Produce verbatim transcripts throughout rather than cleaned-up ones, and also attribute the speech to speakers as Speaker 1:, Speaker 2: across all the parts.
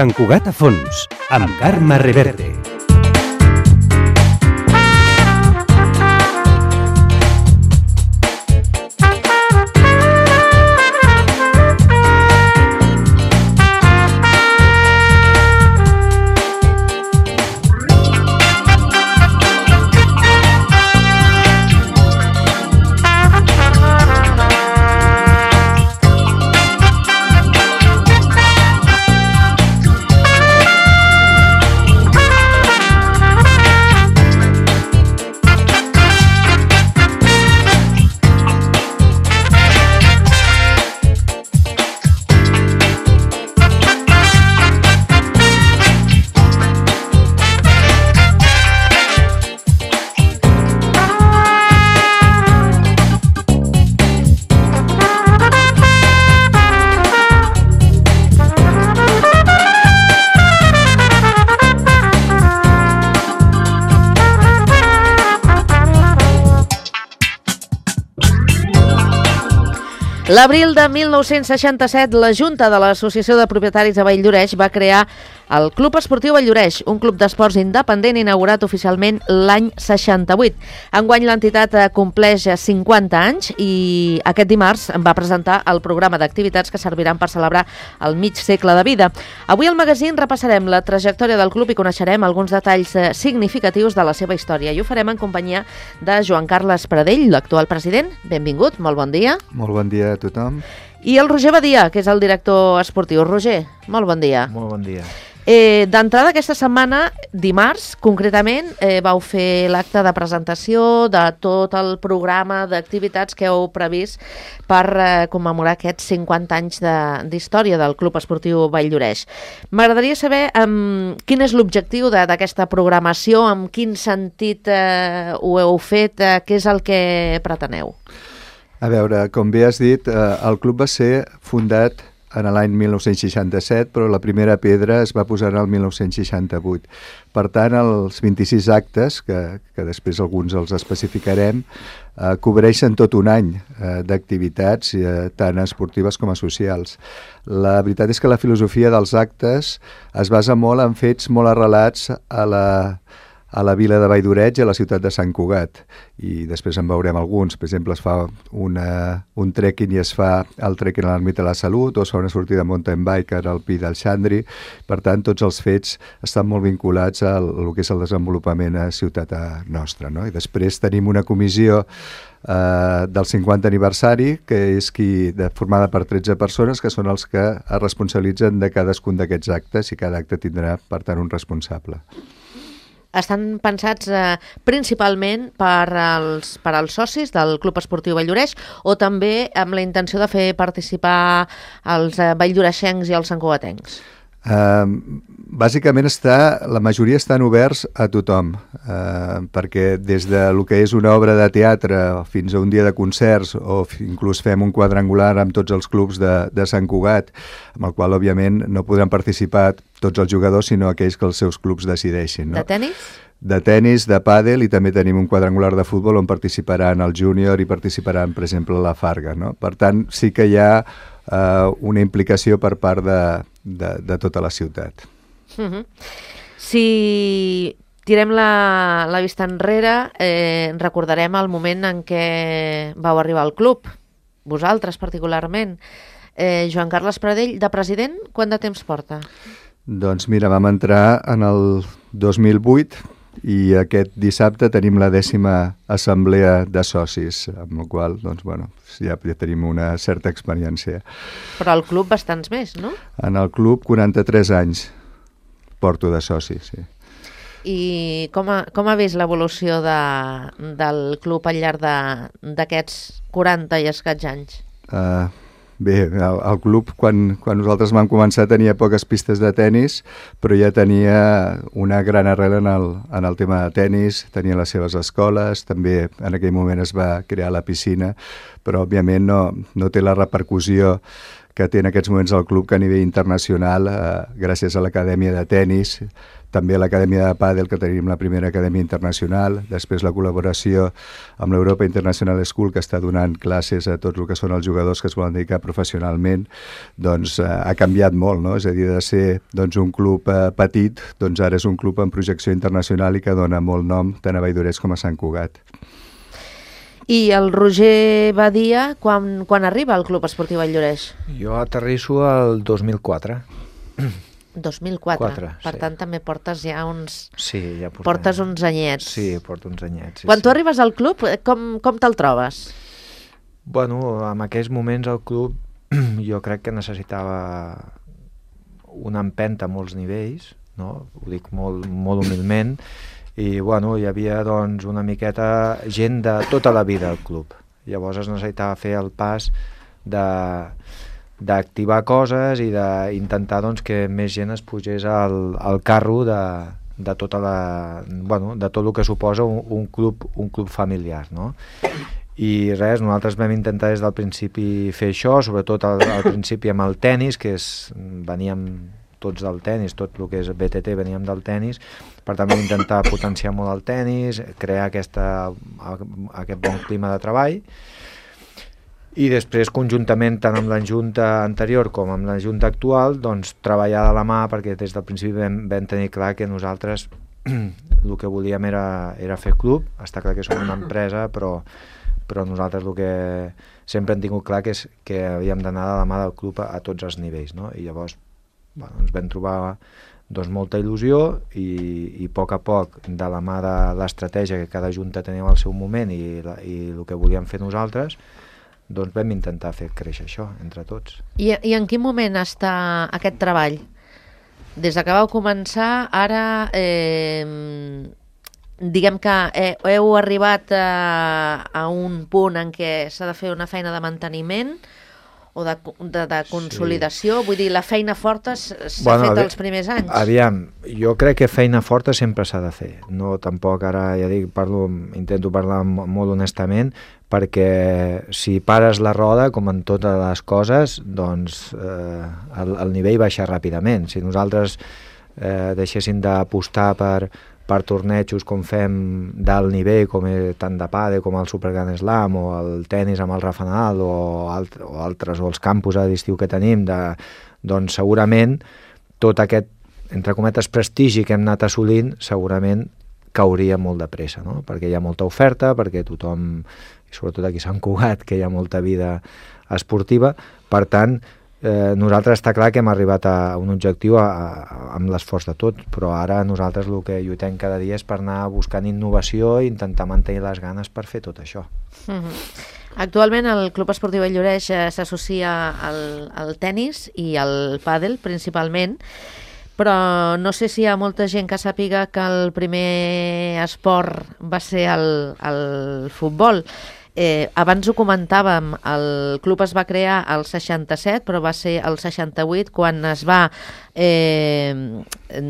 Speaker 1: Sant Cugat a fons, amb Carme Reverte.
Speaker 2: L'abril de mil nou-cents seixanta-set, la Junta de l'Associació de Propietaris de Valldoreix va crear el Club Esportiu Valldoreix, un club d'esports independent inaugurat oficialment l'any seixanta-vuit. Enguany l'entitat compleix cinquanta anys i aquest dimarts va presentar el programa d'activitats que serviran per celebrar el mig segle de vida. Avui al magazín repassarem la trajectòria del club i coneixerem alguns detalls significatius de la seva història. I ho farem en companyia de Joan Carles Pradell, l'actual president. Benvingut, molt bon dia.
Speaker 3: Molt bon dia a tothom.
Speaker 2: I el Roger Badia, que és el director esportiu. Roger, molt bon dia.
Speaker 4: Molt bon dia.
Speaker 2: Eh, D'entrada, aquesta setmana, dimarts, concretament, eh, vau fer l'acte de presentació de tot el programa d'activitats que heu previst per eh, commemorar aquests cinquanta anys d'història de, del Club Esportiu Valldoreix. M'agradaria saber um, quin és l'objectiu d'aquesta programació, en quin sentit eh, ho heu fet, eh, què és el que preteneu?
Speaker 3: A veure, com bé has dit, eh, el club va ser fundat en l'any mil nou-cents seixanta-set, però la primera pedra es va posar en el mil nou-cents seixanta-vuit. Per tant, els vint-i-sis actes, que, que després alguns els especificarem, eh, cobreixen tot un any eh, d'activitats, eh, tant esportives com a socials. La veritat és que la filosofia dels actes es basa molt en fets molt arrelats a la... a la vila de Valldoreix i a la ciutat de Sant Cugat. I després en veurem alguns. Per exemple, es fa una, un trekking i es fa el trekking a l'Ermita de la Salut, o es fa una sortida mountain bike al Pi del Xandri. Per tant, tots els fets estan molt vinculats al, al que és el desenvolupament a ciutat nostra, no? I després tenim una comissió eh, del cinquanta aniversari, que és qui, de, formada per tretze persones, que són els que es responsabilitzen de cadascun d'aquests actes, i cada acte tindrà, per tant, un responsable.
Speaker 2: Estan pensats eh, principalment per als, per als socis del Club Esportiu Valldoreix o també amb la intenció de fer participar els eh, valldoreixencs i els santcugatencs?
Speaker 3: Uh, bàsicament està, la majoria estan oberts a tothom, uh, perquè des de lo que és una obra de teatre fins a un dia de concerts, o inclús fem un quadrangular amb tots els clubs de, de Sant Cugat, amb el qual òbviament no podran participar tots els jugadors, sinó aquells que els seus clubs decideixin, no?
Speaker 2: De tenis?
Speaker 3: De tenis, de pàdel, i també tenim un quadrangular de futbol on participaran el júnior i participaran, per exemple, la Farga, no? Per tant, sí que hi ha uh, una implicació per part de, de, de tota la ciutat.
Speaker 2: Uh-huh. Si tirem la, la vista enrere, eh, recordarem el moment en què vau arribar al club, vosaltres particularment. Eh, Joan Carles Pradell, de president, quant de temps porta?
Speaker 3: Doncs mira, vam entrar en el dos mil vuit i aquest dissabte tenim la dècima assemblea de socis, amb la qual doncs, bueno, ja, ja tenim una certa experiència.
Speaker 2: Però al club bastants més, no?
Speaker 3: En el club quaranta-tres anys porto de socis, sí.
Speaker 2: I com ha, com ha vist l'evolució de, del club al llarg d'aquests quaranta i escaig anys?
Speaker 3: Uh, Bé, el, el club, quan, quan nosaltres vam començar, tenia poques pistes de tennis, però ja tenia una gran arrel en el, en el tema de tennis, tenia les seves escoles, també en aquell moment es va crear la piscina, però òbviament no, no té la repercussió que té en aquests moments el club, que a nivell internacional, eh, gràcies a l'Acadèmia de Tenis, també l'Acadèmia de Pàdel, que tenim la primera acadèmia internacional, després la col·laboració amb l'Europa International School, que està donant classes a tots el que són els jugadors que es volen dedicar professionalment, doncs eh, ha canviat molt, no? És a dir, de ser doncs, un club eh, petit, doncs ara és un club amb projecció internacional i que dona molt nom tant a Valldoreix com a Sant Cugat.
Speaker 2: I el Roger Badia, quan, quan arriba al Club Esportiu Valldoreix?
Speaker 4: Jo aterrisso el dos mil quatre.
Speaker 2: dos mil quatre.
Speaker 4: quatre,
Speaker 2: per
Speaker 4: sí.
Speaker 2: tant, també portes ja uns...
Speaker 4: Sí, ja portem...
Speaker 2: Portes uns anyets.
Speaker 4: Sí, porto uns anyets. Sí,
Speaker 2: Quan
Speaker 4: sí.
Speaker 2: tu arribes al club, com, com te'l trobes?
Speaker 4: Bueno, en aquells moments el club jo crec que necessitava una empenta a molts nivells, no? Ho dic molt, molt humilment, i bueno, hi havia doncs una miqueta gent de tota la vida al club. Llavors es necessitava fer el pas de... d'activar coses i d'intentar doncs, que més gent es pugés al, al carro de, de, tota la, bueno, de tot el que suposa un, un, club, un club familiar, no? I res, nosaltres vam intentar des del principi fer això, sobretot al, al principi amb el tennis, que és, veníem tots del tennis, tot el que és B T T veníem del tennis, per tant vam intentar potenciar molt el tennis, crear aquesta, aquest bon clima de treball, i després conjuntament tant amb la junta anterior com amb la junta actual doncs treballar de la mà, perquè des del principi vam, vam tenir clar que nosaltres el que volíem era, era fer club. Està clar que som una empresa, però, però nosaltres el que sempre hem tingut clar que és que havíem d'anar de la mà del club a, a tots els nivells, no? I llavors bueno, ens vam trobar doncs, molta il·lusió i, i a poc a poc, de la mà de l'estratègia que cada junta tenia al seu moment i, la, i el que volíem fer nosaltres, doncs vam intentar fer créixer això entre tots.
Speaker 2: I, i en quin moment està aquest treball? Des que vau començar, ara eh, diguem que eh, heu arribat a, a un punt en què s'ha de fer una feina de manteniment o de, de, de consolidació? Sí. Vull dir, la feina forta s'ha bueno, fet els primers anys.
Speaker 4: Aviam, jo crec que feina forta sempre s'ha de fer. No, tampoc ara, ja dic, parlo, intento parlar molt honestament, perquè si pares la roda, com en totes les coses, doncs eh, el, el nivell baixa ràpidament. Si nosaltres eh, deixéssim d'apostar per, per tornejos com fem d'alt nivell, com és, tant de pàdel com el Super Grand Slam o el tennis amb el Rafa Nadal o, alt, o altres, o els campus d'estiu que tenim, de, doncs segurament tot aquest, entre cometes, prestigi que hem anat assolint, segurament cauria molt de pressa, no? Perquè hi ha molta oferta, perquè tothom, i sobretot aquí a Sant Cugat, que hi ha molta vida esportiva, per tant, eh, nosaltres està clar que hem arribat a un objectiu a, a, amb l'esforç de tot, però ara nosaltres el que lluitem cada dia és per anar buscant innovació i intentar mantenir les ganes per fer tot això.
Speaker 2: Mm-hmm. Actualment el Club Esportiu Valldoreix eh, s'associa al, al tennis i al pàdel principalment, però no sé si hi ha molta gent que sàpiga que el primer esport va ser el, el futbol. Eh, abans ho comentàvem, el club es va crear al seixanta-set, però va ser el seixanta-vuit quan es va eh,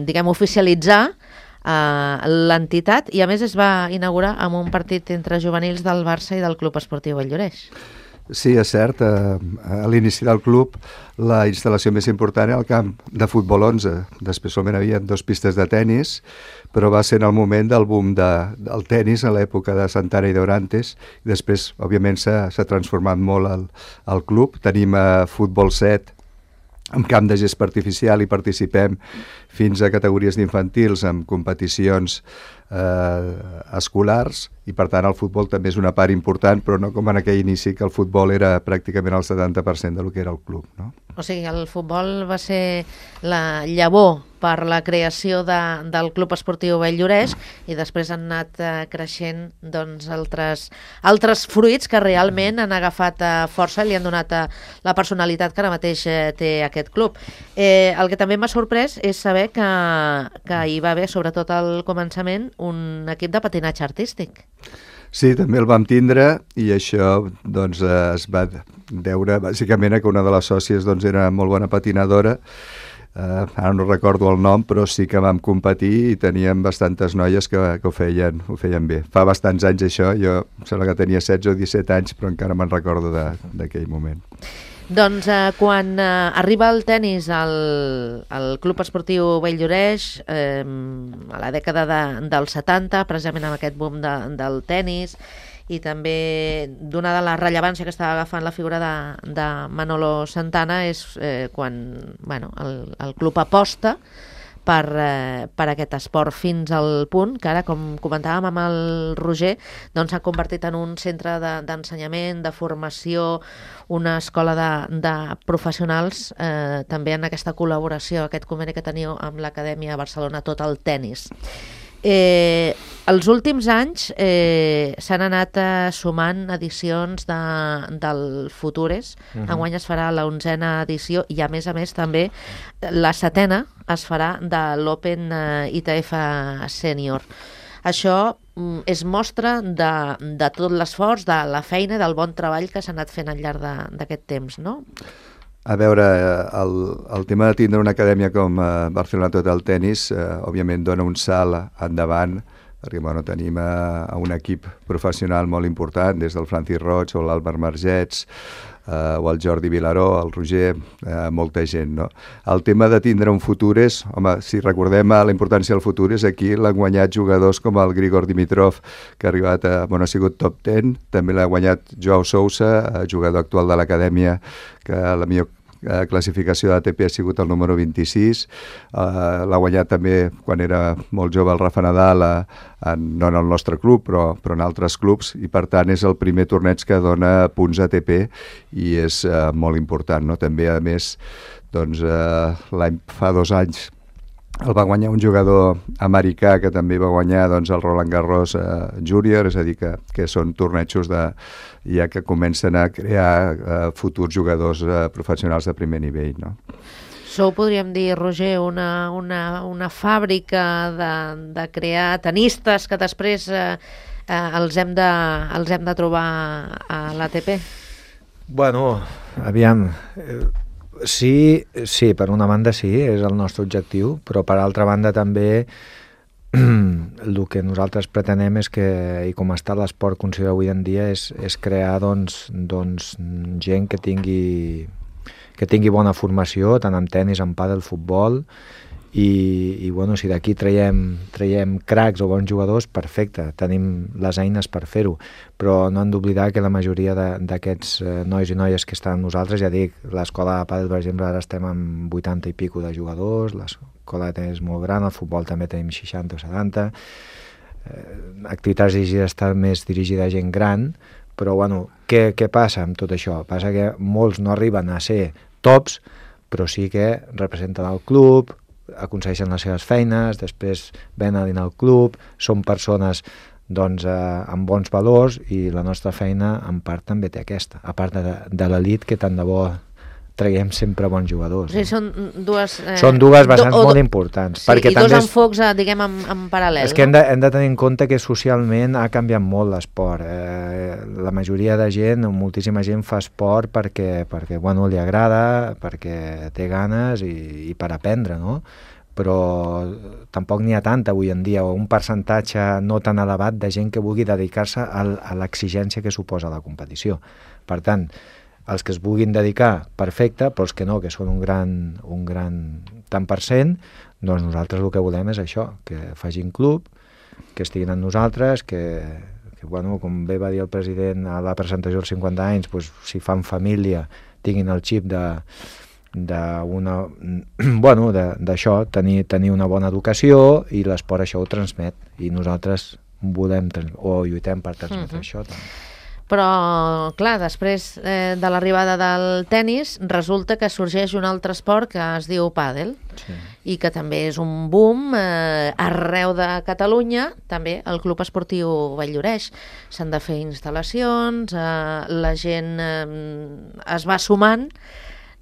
Speaker 2: diguem, oficialitzar eh, l'entitat, i a més es va inaugurar amb un partit entre juvenils del Barça i del Club Esportiu Valldoreix.
Speaker 3: Sí, és cert. A l'inici del club la instal·lació més important era el camp de futbol onze. Després solament hi havia dues pistes de tennis, però va ser en el moment del boom de, del tennis a l'època de Santana i d'Orantes. I després, òbviament, s'ha transformat molt el, el club. Tenim a futbol set amb camp de gespa artificial i participem fins a categories d'infantils amb competicions eh, escolars, i per tant el futbol també és una part important, però no com en aquell inici que el futbol era pràcticament el setanta per cent del que era el club, no?
Speaker 2: O sigui, el futbol va ser la llavor per la creació de, del Club Esportiu Valldoreix, i després han anat eh, creixent doncs, altres, altres fruits que realment han agafat eh, força i li han donat eh, la personalitat que ara mateix eh, té aquest club. Eh, el que també m'ha sorprès és saber que, que hi va haver, sobretot al començament, un equip de patinatge artístic.
Speaker 3: Sí, també el vam tindre, i això doncs, es va deure bàsicament que una de les sòcies doncs, era molt bona patinadora. Uh, ara no recordo el nom, però sí que vam competir i teníem bastantes noies que, que ho, feien, ho feien bé. Fa bastants anys això, jo em sembla que tenia setze o disset anys, però encara me'n recordo d'aquell moment.
Speaker 2: Doncs eh, quan eh, arriba el tennis al, al Club Esportiu Valldoreix, eh, a la dècada de, dels setanta, precisament amb aquest boom de, del tennis, i també donada la rellevància que estava agafant la figura de, de Manolo Santana, és eh, quan bueno, el, el club aposta per, eh, per aquest esport fins al punt que ara, com comentàvem amb el Roger, doncs s'ha convertit en un centre d'ensenyament, de, de formació, una escola de, de professionals, eh, també en aquesta col·laboració, aquest conveni que teniu amb l'Acadèmia Barcelona, tot el tennis. Eh, els últims anys eh, s'han anat eh, sumant edicions de, del Futures. Uh-huh. Enguany es farà l'onzena edició i a més a més també la setena es farà de l'Open eh, I T F Senior. Això mm, és mostra de, de tot l'esforç, de la feina i del bon treball que s'ha anat fent al llarg d'aquest temps, no?
Speaker 3: A veure, el, el tema de tindre una acadèmia com eh, Barcelona Total Tennis, eh, òbviament dona un salt endavant, perquè bueno, tenim eh, un equip professional molt important, des del Francis Roig o l'Àlvaro Margets, eh, o el Jordi Vilaró, el Roger, eh, molta gent, no? El tema de tindre un Futures, home, si recordem la importància del Futures, aquí l'han guanyat jugadors com el Grigor Dimitrov, que ha arribat a, bueno, ha sigut top deu, també l'ha guanyat Joao Sousa, eh, jugador actual de l'acadèmia, que la millor eh, classificació d'A T P ha sigut el número vint-i-sis, eh, l'ha guanyat també quan era molt jove el Rafa Nadal, eh, en, no en el nostre club, però, però en altres clubs, i per tant és el primer torneig que dona punts A T P i és eh, molt important, no? També, a més, doncs, eh, l'any fa dos anys el va guanyar un jugador americà que també va guanyar doncs, el Roland Garros eh, Junior, és a dir, que, que són tornejos de, ja que comencen a crear eh, futurs jugadors eh, professionals de primer nivell, no?
Speaker 2: Sou, podríem dir, Roger, una, una, una fàbrica de, de crear tenistes que després eh, eh, els, hem de, els hem de trobar a l'A T P?
Speaker 4: Bueno, aviam... Eh... Sí, sí, per una banda sí, és el nostre objectiu, però per altra banda també el que nosaltres pretenem és que, i com està l'esport considerat avui en dia, és, és crear doncs, doncs, gent que tingui, que tingui bona formació, tant en tenis, en pàdel, futbol, i, i bueno, si d'aquí traiem, traiem cracs o bons jugadors, perfecte, tenim les eines per fer-ho, però no hem d'oblidar que la majoria d'aquests eh, nois i noies que estan amb nosaltres, ja dic, l'escola de pàdel, per exemple, ara estem amb vuitanta i pico de jugadors, l'escola de tenis és molt gran, el futbol també tenim seixanta o setanta, eh, activitats dirigides està més dirigida a gent gran, però bueno, què, què passa amb tot això? Passa que molts no arriben a ser tops, però sí que representen el club, aconsegueixen les seves feines, després venen al club, són persones doncs, eh, amb bons valors, i la nostra feina en part també té aquesta, a part de, de l'elit, que tant de bo traiem sempre bons jugadors.
Speaker 2: O sigui, són dues... Eh,
Speaker 4: són dues vessants
Speaker 2: do,
Speaker 4: molt importants.
Speaker 2: Sí,
Speaker 4: perquè
Speaker 2: i
Speaker 4: també
Speaker 2: dos enfocs, eh, diguem, en, en paral·lel.
Speaker 4: És que
Speaker 2: no?
Speaker 4: hem de, hem de tenir en compte que socialment ha canviat molt l'esport. Eh, la majoria de gent, moltíssima gent fa esport perquè, perquè bueno, li agrada, perquè té ganes i, i per aprendre, no? Però tampoc n'hi ha tanta avui en dia, o un percentatge no tan elevat de gent que vulgui dedicar-se a, a l'exigència que suposa la competició. Per tant, els que es vulguin dedicar, perfecte, però els que no, que són un gran, un gran tant per cent, doncs nosaltres el que volem és això, que facin club, que estiguin amb nosaltres, que, que bueno, com bé va dir el president a la presentació dels cinquanta anys, doncs, si fan família, tinguin el xip de... d'una, bueno, d'això, tenir, tenir una bona educació, i l'esport això ho transmet, i nosaltres volem o lluitem per transmetre uh-huh. això també.
Speaker 2: Però, clar, després eh, de l'arribada del tennis, resulta que sorgeix un altre esport que es diu pàdel, sí. I que també és un boom eh, arreu de Catalunya, també el Club Esportiu Valldoreix. S'han de fer instal·lacions, eh, la gent eh, es va sumant,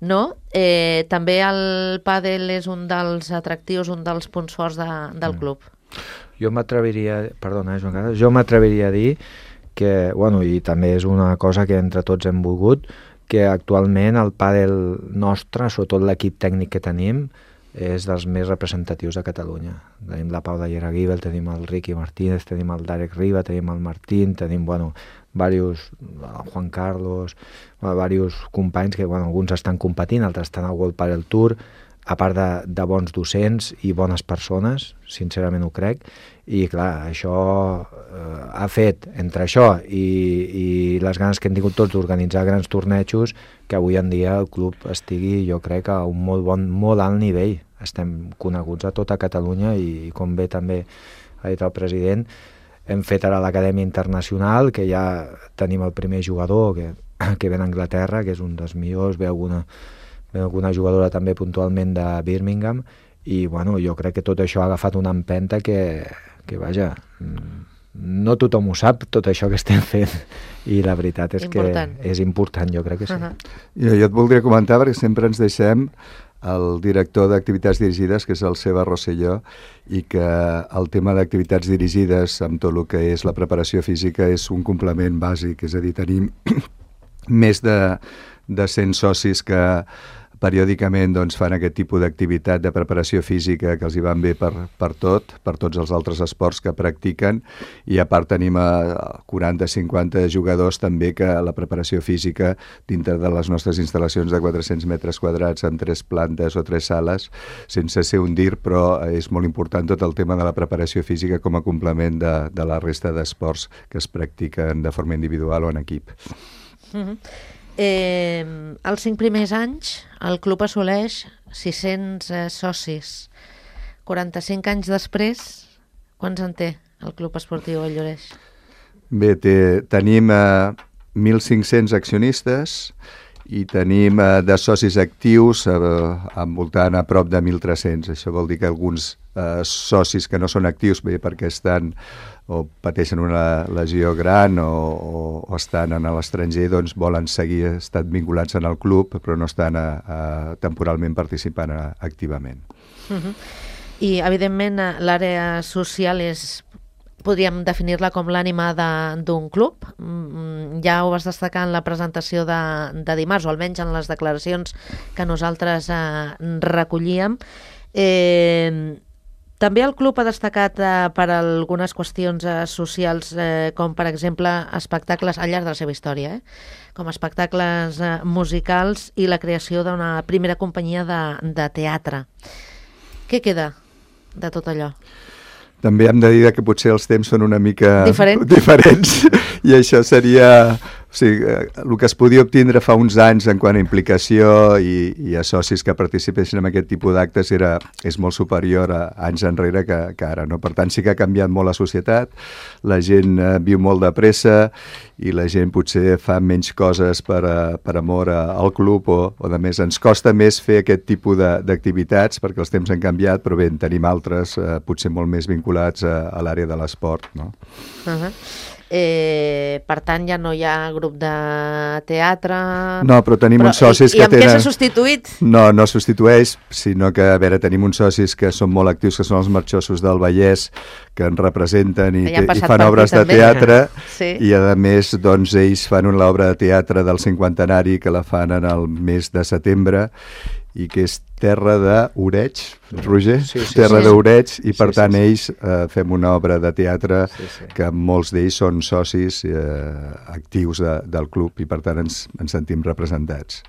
Speaker 2: no? Eh, també el pàdel és un dels atractius, un dels punts forts de, del mm. club.
Speaker 4: Jo m'atreviria, perdona, Joan Carles, jo m'atreviria a dir que, bueno, i també és una cosa que entre tots hem volgut, que actualment el pàdel nostre, sobretot l'equip tècnic que tenim, és dels més representatius de Catalunya. Tenim la Paula Ieraguibel, tenim el Ricky Martínez, tenim el Darek Riba, tenim el Martín, tenim, bueno, varios, el Juan Carlos, bueno, varios companys que, bueno, alguns estan competint, altres estan al World Padel Tour, a part de, de bons docents i bones persones, sincerament ho crec, i clar, això eh, ha fet, entre això i, i les ganes que hem tingut tots d'organitzar grans tornejos, que avui en dia el club estigui, jo crec, a un molt bon, molt alt nivell. Estem coneguts a tota Catalunya i, com bé també ha dit el president, hem fet ara l'Acadèmia Internacional, que ja tenim el primer jugador que, que ve d'Anglaterra, que és un dels millors, ve alguna, ve alguna jugadora també puntualment de Birmingham, i bueno, jo crec que tot això ha agafat una empenta que, que vaja, no tothom ho sap, tot això que estem fent, i la veritat és important. Que és important, jo crec que sí. Uh-huh.
Speaker 3: Jo, jo et voldria comentar, perquè sempre ens deixem el director d'activitats dirigides, que és el Seba Rosselló, i que el tema d'activitats dirigides amb tot el que és la preparació física és un complement bàsic, és a dir, tenim més de, de cent socis que periòdicament doncs, fan aquest tipus d'activitat de preparació física que els hi van bé per, per tot, per tots els altres esports que practiquen, i a part tenim a quaranta a cinquanta jugadors també que la preparació física dintre de les nostres instal·lacions de quatre-cents metres quadrats amb tres plantes o tres sales, sense ser un dir, però és molt important tot el tema de la preparació física com a complement de, de la resta d'esports que es practiquen de forma individual o en equip.
Speaker 2: Mm-hmm. Eh, els cinc primers anys el club assoleix sis-cents eh, socis. quaranta-cinc anys després, quants en té el Club Esportiu Valldoreix?
Speaker 3: Bé, té, tenim eh, mil cinc-cents accionistes i tenim eh, de socis actius eh, envoltant a prop de mil tres-cents. Això vol dir que alguns eh, socis que no són actius, bé, perquè estan o pateixen una lesió gran o, o, o estan en l'estranger, doncs volen seguir estan vinculats en el club, però no estan a, a, temporalment participant a, activament.
Speaker 2: Uh-huh. I, evidentment, l'àrea social és, podríem definir-la com l'ànima d'un club. Ja ho vas destacar en la presentació de, de dimarts, o almenys en les declaracions que nosaltres eh, recollíem. Eh, També el club ha destacat eh, per algunes qüestions eh, socials, eh, com per exemple espectacles al llarg de la seva història, eh? com espectacles eh, musicals i la creació d'una primera companyia de, de teatre. Què queda de tot allò?
Speaker 3: També hem de dir que potser els temps són una mica
Speaker 2: Diferent.
Speaker 3: diferents i això seria... O sigui, el que es podia obtindre fa uns anys en quant a implicació i, i a socis que participessin en aquest tipus d'actes era, és molt superior a anys enrere que, que ara. No? Per tant, sí que ha canviat molt la societat, la gent eh, viu molt de pressa i la gent potser fa menys coses per, a, per amor a, al club o, o de més. Ens costa més fer aquest tipus d'activitats perquè els temps han canviat, però bé, en tenim altres eh, potser molt més vinculats a, a l'àrea de l'esport. No?
Speaker 2: Uh-huh. Eh, per tant, ja no hi ha grup de teatre...
Speaker 3: No, però tenim però, uns socis
Speaker 2: i,
Speaker 3: que
Speaker 2: i amb
Speaker 3: tenen...
Speaker 2: què s'ha substituït?
Speaker 3: No, no substitueix, sinó que, a veure, tenim uns socis que són molt actius, que són els marxossos del Vallès, que ens representen i, que, i fan obres de teatre, sí. I a més, doncs, ells fan l'obra de teatre del cinquantenari, que la fan en el mes de setembre, i que és Terra d'Oreig, Roger?
Speaker 4: Sí, sí,
Speaker 3: Terra
Speaker 4: sí.
Speaker 3: d'Oreig, i per
Speaker 4: sí,
Speaker 3: tant
Speaker 4: sí, sí.
Speaker 3: ells eh, fem una obra de teatre
Speaker 4: sí, sí.
Speaker 3: que molts d'ells són socis eh, actius de, del club i per tant ens, ens sentim representats.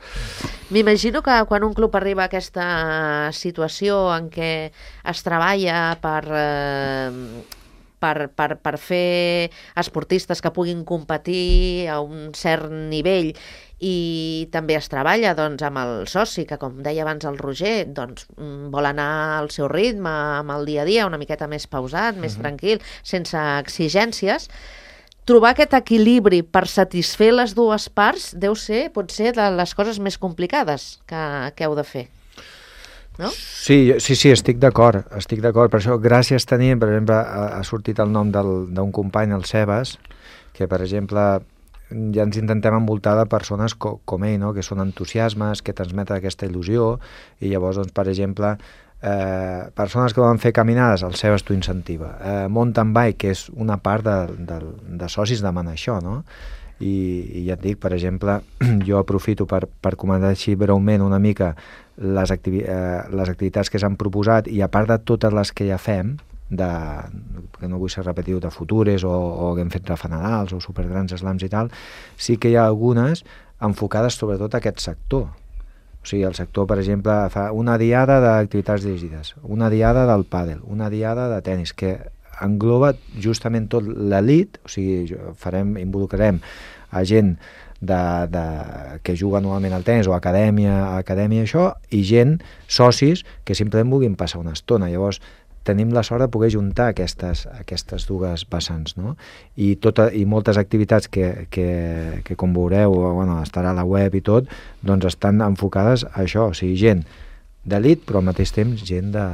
Speaker 2: M'imagino que quan un club arriba a aquesta situació en què es treballa per... Eh, Per, per, per fer esportistes que puguin competir a un cert nivell i també es treballa doncs, amb el soci, que com deia abans el Roger, doncs, vol anar al seu ritme, amb el dia a dia, una miqueta més pausat, més uh-huh. tranquil, sense exigències. Trobar aquest equilibri per satisfer les dues parts deu ser, pot ser, de les coses més complicades que, que heu de fer. No?
Speaker 4: Sí, sí, sí, estic d'acord, estic d'acord. Per això, gràcies tenim, per exemple, ha, ha sortit el nom d'un company, el Sebas, que, per exemple, ja ens intentem envoltar de persones co, com ell, no? Que són entusiasmes, que transmeten aquesta il·lusió, i llavors, doncs, per exemple, eh, persones que volen fer caminades, el Sebas t'ho incentiva. Eh, mountain bike, que és una part de, de, de socis demanar això, no? I, i ja et dic, per exemple, jo aprofito per, per comentar així breument una mica les, activi eh, les activitats que s'han proposat, i a part de totes les que ja fem, de, que no vull ser repetitiu, de futures o, o que hem fet rafanadals o supergrans slams i tal, sí que hi ha algunes enfocades sobretot a aquest sector. O sigui, el sector, per exemple, fa una diada d'activitats dirigides, una diada del pàdel, una diada de tennis, que engloba justament tot l'elit, o sigui, farem, involucrarem a gent de, de, que juga normalment al tennis o acadèmia, acadèmia això, i gent, socis, que simplement vulguin passar una estona. Llavors, tenim la sort de poder juntar aquestes, aquestes dues vessants, no? I, tota, i moltes activitats que, que, que com veureu, bueno, estarà a la web i tot, doncs estan enfocades a això, o sigui, gent d'elit, però al mateix temps gent de...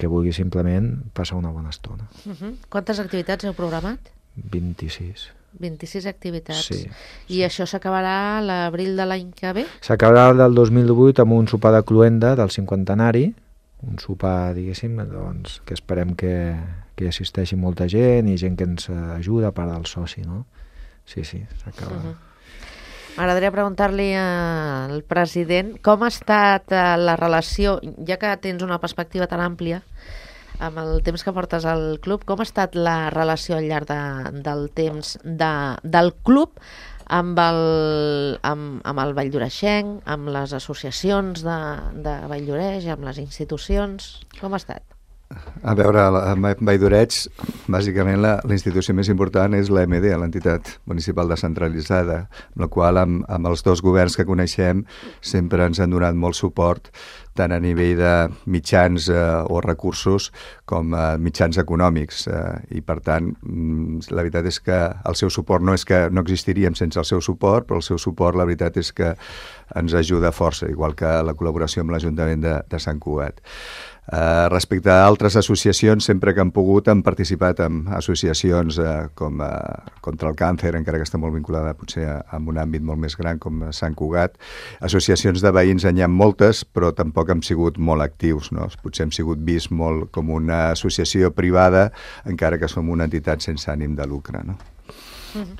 Speaker 4: que vulgui simplement passar una bona estona.
Speaker 2: Uh-huh. Quantes activitats heu programat?
Speaker 4: vint-i-sis.
Speaker 2: vint-i-sis activitats.
Speaker 4: Sí,
Speaker 2: I
Speaker 4: sí.
Speaker 2: això s'acabarà a l'abril de l'any que ve?
Speaker 4: S'acabarà del dos mil divuit amb un sopar de cluenda del cinquantenari, un sopar, diguéssim, doncs, que esperem que, que hi assisteixi molta gent i gent que ens ajuda a part del soci, no? Sí, sí, s'acaba.
Speaker 2: Uh-huh. M'agradaria preguntar-li al president com ha estat la relació, ja que tens una perspectiva tan àmplia amb el temps que portes al club, com ha estat la relació al llarg de, del temps de, del club amb el, amb, amb el valldoreixenc, amb les associacions de, de Valldoreix, amb les institucions, com ha estat?
Speaker 3: A veure, a Valldoreig, bàsicament la, la institució més important és l'A M D, l'entitat municipal descentralitzada, amb la qual amb, amb els dos governs que coneixem sempre ens han donat molt suport, tant a nivell de mitjans eh, o recursos com a mitjans econòmics. Eh, I per tant, la veritat és que el seu suport no és que no existiríem sense el seu suport, però el seu suport la veritat és que ens ajuda força, igual que la col·laboració amb l'Ajuntament de, de Sant Cugat. Uh, respecte a altres associacions, sempre que han pogut han participat en associacions uh, com uh, contra el càncer, encara que està molt vinculada potser a, a un àmbit molt més gran com Sant Cugat. Associacions de veïns en hi ha moltes, però tampoc hem sigut molt actius, no? Potser hem sigut vist molt com una associació privada, encara que som una entitat sense ànim de lucre, no?
Speaker 2: Mm-hmm.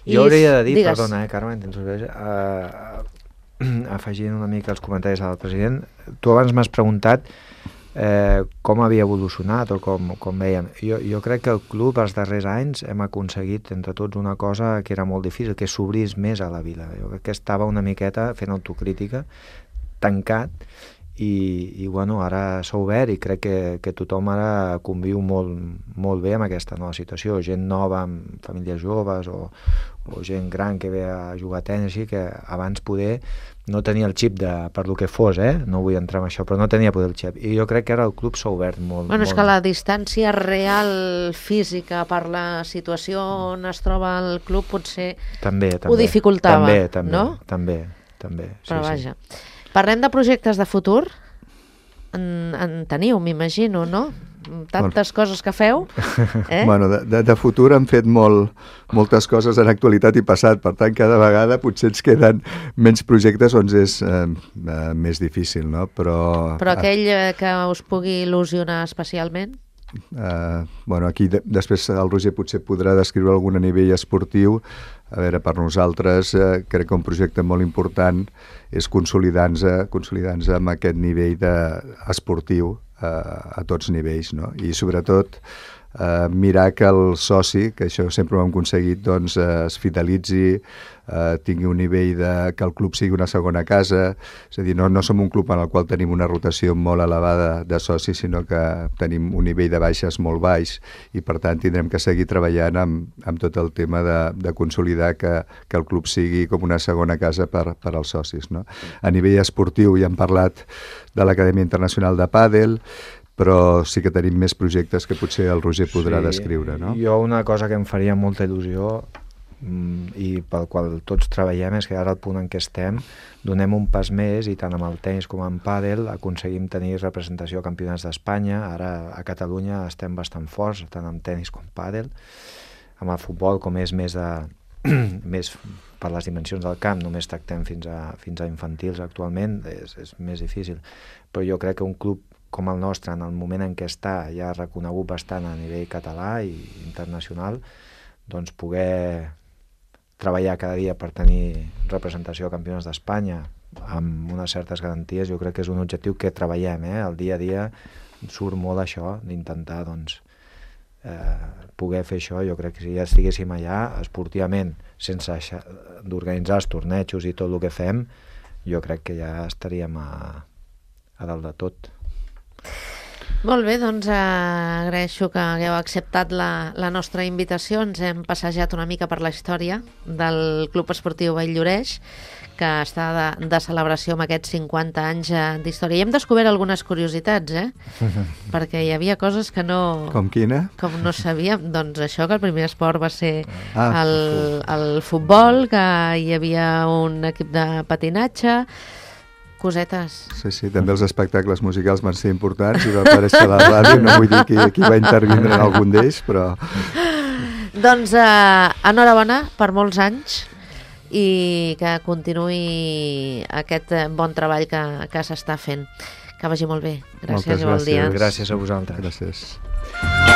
Speaker 4: Jo hauria de dir,
Speaker 2: digues.
Speaker 4: perdona, eh, Carme, uh, afegint una mica els comentaris del president, tu abans m'has preguntat Eh, com havia evolucionat o com, com veiem. Jo, jo crec que el club els darrers anys hem aconseguit entre tots una cosa que era molt difícil, que s'obrís més a la vila. Jo crec que estava una miqueta fent autocrítica, tancat, i, i bueno, ara s'ha obert i crec que, que tothom ara conviu molt, molt bé amb aquesta nova situació. Gent nova amb famílies joves o, o gent gran que ve a jugar a tenis, així que abans poder no tenia el xip de, per lo que fos, eh? No vull entrar en això, però no tenia poder el xip. I jo crec que ara el club s'ha obert molt.
Speaker 2: Bueno,
Speaker 4: molt.
Speaker 2: És que la distància real física per la situació on es troba el club potser
Speaker 4: també, també,
Speaker 2: ho dificultava,
Speaker 4: també, també,
Speaker 2: no?
Speaker 4: També, també. Sí,
Speaker 2: però
Speaker 4: sí.
Speaker 2: vaja. Parlem de projectes de futur. En, en teniu, m'imagino, no? Tantes bueno. coses que feu. Eh?
Speaker 3: Bueno, de, de, de futur han fet molt, moltes coses en actualitat i passat, per tant, cada vegada potser ens queden menys projectes on és eh, eh, més difícil, no? Però,
Speaker 2: Però aquell eh, que us pugui il·lusionar especialment?
Speaker 3: Eh, bueno, aquí de, després el Roger potser podrà descriure algun a nivell esportiu. A veure, per nosaltres eh, crec que un projecte molt important és consolidar-nos consolidar-nos amb aquest nivell de, esportiu eh, a tots nivells, no? I sobretot eh, mirar que el soci, que això sempre ho hem aconseguit, doncs eh, es fidelitzi, eh, tingui un nivell de que el club sigui una segona casa. És a dir, no, no som un club en el qual tenim una rotació molt elevada de socis, sinó que tenim un nivell de baixes molt baix i per tant tindrem que seguir treballant amb, amb tot el tema de, de consolidar que, que el club sigui com una segona casa per, per als socis, no? A nivell esportiu ja hem parlat de l'Acadèmia Internacional de Pàdel, però sí que tenim més projectes que potser el Roger podrà sí, descriure, no?
Speaker 4: Jo una cosa que em faria molta il·lusió i pel qual tots treballem és que ara al punt en què estem donem un pas més i tant amb el tenis com amb pàdel aconseguim tenir representació a campionats d'Espanya. Ara a Catalunya estem bastant forts, tant amb tenis com pàdel. Amb el futbol, com és més de més per les dimensions del camp, només tractem fins a, fins a infantils actualment, és, és més difícil. Però jo crec que un club com el nostre, en el moment en què està, ja ha reconegut bastant a nivell català i internacional, doncs poder treballar cada dia per tenir representació a campionats d'Espanya, amb unes certes garanties, jo crec que és un objectiu que treballem, eh? El dia a dia surt molt això, d'intentar doncs, eh, poder fer això. Jo crec que si ja estiguéssim allà, esportivament, sense d'organitzar els tornejos i tot el que fem, jo crec que ja estaríem a, a dalt de tot.
Speaker 2: Molt bé, doncs eh, agraeixo que hagueu acceptat la, la nostra invitació. Ens hem passejat una mica per la història del Club Esportiu Vall-lloreix, que està de, de celebració amb aquests cinquanta anys eh, d'història. I hem descobert algunes curiositats, eh? Perquè hi havia coses que no...
Speaker 3: Com quina?
Speaker 2: Com no sabíem. Doncs això, que el primer esport va ser
Speaker 3: ah,
Speaker 2: el, el futbol, que hi havia un equip de patinatge... Cosetes.
Speaker 3: Sí, sí, també els espectacles musicals van ser importants i va aparèixer a la ràdio, no vull dir qui, qui va intervindre en algun d'ells, però...
Speaker 2: Doncs eh, enhorabona per molts anys i que continuï aquest bon treball que, que s'està fent. Que vagi molt bé. Gràcies i bon dia.
Speaker 3: Gràcies.
Speaker 4: Gràcies a vosaltres.
Speaker 3: Gràcies.